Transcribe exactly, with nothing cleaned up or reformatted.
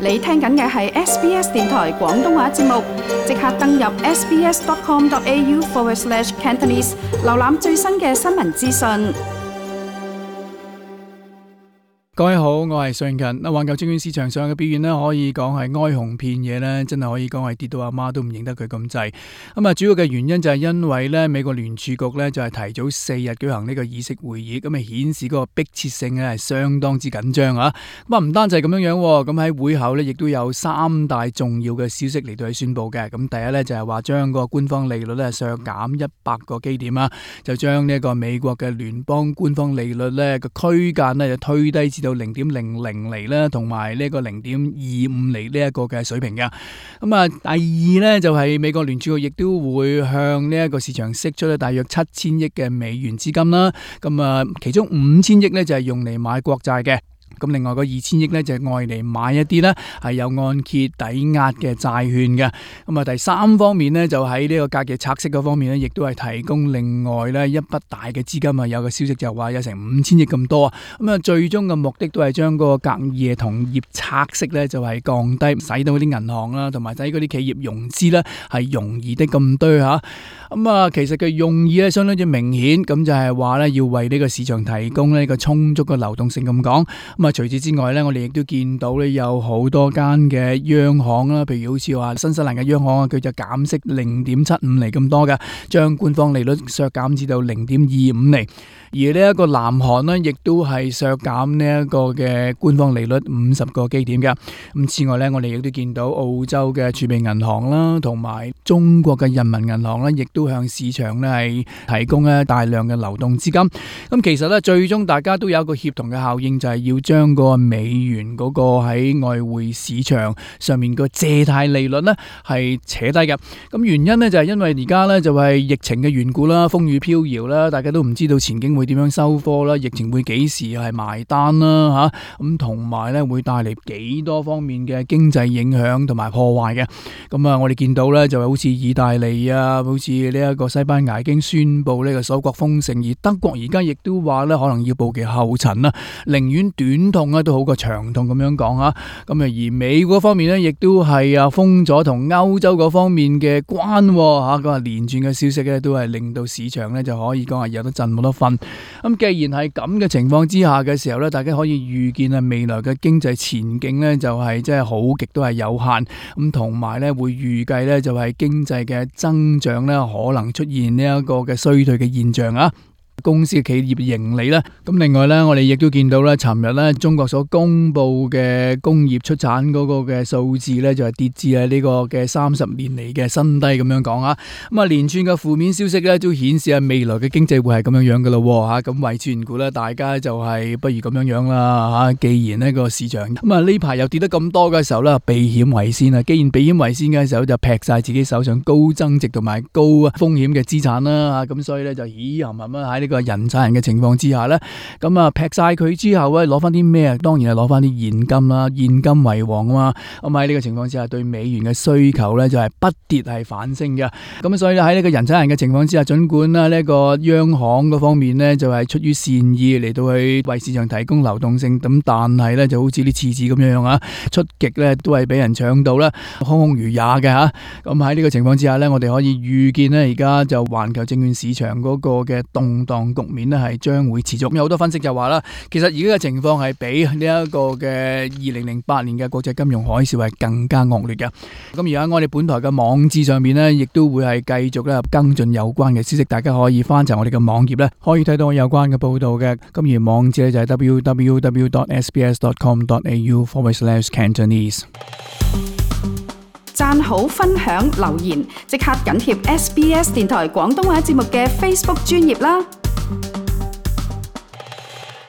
你聽緊嘅係 S B S 電台廣東話節目，即刻登入 sbs.com.au forward slash Cantonese， 瀏覽最新嘅新聞資訊。各位好，我係尚勤。環球證券市場上嘅表現咧，可以講係哀鴻遍野咧，真係可以講係跌到阿媽都唔認得佢咁滯。咁啊，主要嘅原因就係因為咧，美國聯儲局咧就係提早四日舉行呢個議息會議，咁啊顯示嗰個迫切性咧係相當之緊張啊。咁啊唔單止係咁樣樣，咁喺會後咧亦都有三大重要嘅消息嚟到去宣佈嘅。咁第一咧就係話將個官方利率咧削減一百個基點啊，就將呢一個美國嘅聯邦官方利率咧個區間咧就推低至到零點零零厘啦，同埋呢個零點二五厘呢一個嘅水平嘅。咁啊，第二呢，就係美國聯儲局亦都會向呢一個市場釋出咧大約七千億嘅美元資金啦。咁啊，其中五千億呢，就係用嚟買國債嘅。咁另外嗰二千億咧就係愛嚟買一啲咧係有按揭抵押嘅債券嘅。咁啊第三方面咧就喺呢個隔夜拆息嗰方面咧，亦都係提供另外咧一筆大嘅資金啊。有個消息就話有成五千億咁多啊。咁啊最終嘅目的都係將嗰個隔夜同業拆息咧就係降低，使到啲銀行啦同埋使嗰啲企業融資咧係容易的咁多嚇。咁啊其實嘅用意咧相當之明顯，咁就係話咧要為呢個市場提供呢個充足嘅流動性咁講。咁啊，除此之外咧，我哋亦都見到咧有好多間嘅央行啦，譬如好似話新西蘭嘅央行啊，佢就減息零點七五厘咁多嘅，將官方利率削減至到零點二五厘。而呢一個南韓呢，亦都係削減呢一個嘅官方利率五十個基點嘅。咁此外咧，我哋亦都見到澳洲嘅儲備銀行啦，同埋中國嘅人民銀行咧，亦都向市場咧係提供咧大量嘅流動資金。咁其實咧，最終大家都有一個協同嘅效應，就係要將個美元嗰個喺外匯市場上面個借貸利率咧係扯低嘅。咁原因咧就係因為而家咧就係疫情嘅緣故啦，風雨飄搖啦，大家都唔知道前景會點樣收科啦，疫情會幾時係埋單啦嚇，咁同埋咧會帶嚟幾多方面嘅經濟影響同埋破壞嘅。咁啊，我哋見到咧就係好似意大利啊，好似呢一個西班牙已經宣布呢個首國封城，而德國而家亦都話咧可能要步其後塵啦，寧願短痛咧都好過長痛咁樣講啊。咁啊，而美國方面咧亦都係啊封咗同歐洲嗰方面嘅關嚇，咁啊連串嘅消息咧都係令到市場咧就可以講係有得震冇得瞓。咁既然係咁嘅情況之下嘅時候咧，大家可以預見啊未來嘅經濟前景咧就係即係好極都係有限，咁同埋咧會預計咧就係經濟嘅增長咧可能出現呢一個嘅衰退嘅現象啊。公司嘅企業盈利啦，咁另外咧，我哋亦都見到咧，尋日咧中國所公布嘅工業出產嗰個嘅數字咧，就係跌至啊呢個嘅三十年嚟嘅新低咁樣講啊。咁啊，連串嘅負面消息咧，都顯示啊未來嘅經濟會係咁樣樣噶咯吓。咁為全股咧，大家就係不如咁樣樣啦吓。既然呢個市場咁啊呢排又跌得咁多嘅時候咧，避險為先啊。既然避險為先嘅時候，就劈晒自己手上高增值同埋高風險嘅資產啦吓。咁所以咧就咦含含啊喺呢個人踩人嘅情況之下呢，咁啊劈晒佢之後咧，攞翻啲咩啊？當然係攞翻啲現金啦，現金為王啊嘛。咁喺呢個情況之下，對美元嘅需求呢，就係不跌係反升嘅。咁所以喺呢個人踩人嘅情況之下，盡管啦呢個央行嗰方面呢，就係出於善意嚟到去為市場提供流動性，咁但係呢，就好似啲廁紙咁樣樣啊，出極呢都係俾人搶到啦，空空如也嘅吓。咁喺呢個情況之下呢，我哋可以預見呢，而家就環球證券市場嗰個嘅動盪局面咧係將會持續，有好多分析就話啦，其實而家嘅情況係比呢一個嘅二零零八年嘅國際金融海嘯係更加惡劣嘅。咁而家我哋本台嘅網誌上面呢，亦都會係繼續咧跟進有關嘅消息，大家可以翻查我哋嘅網頁咧，可以睇到有關嘅報道嘅。咁而網誌咧就係 double-u double-u double-u dot s b s dot com dot a u forward slash Cantonese。讚好、分享、留言，即刻緊貼 S B S 電台廣東話節目嘅 Facebook 專頁啦！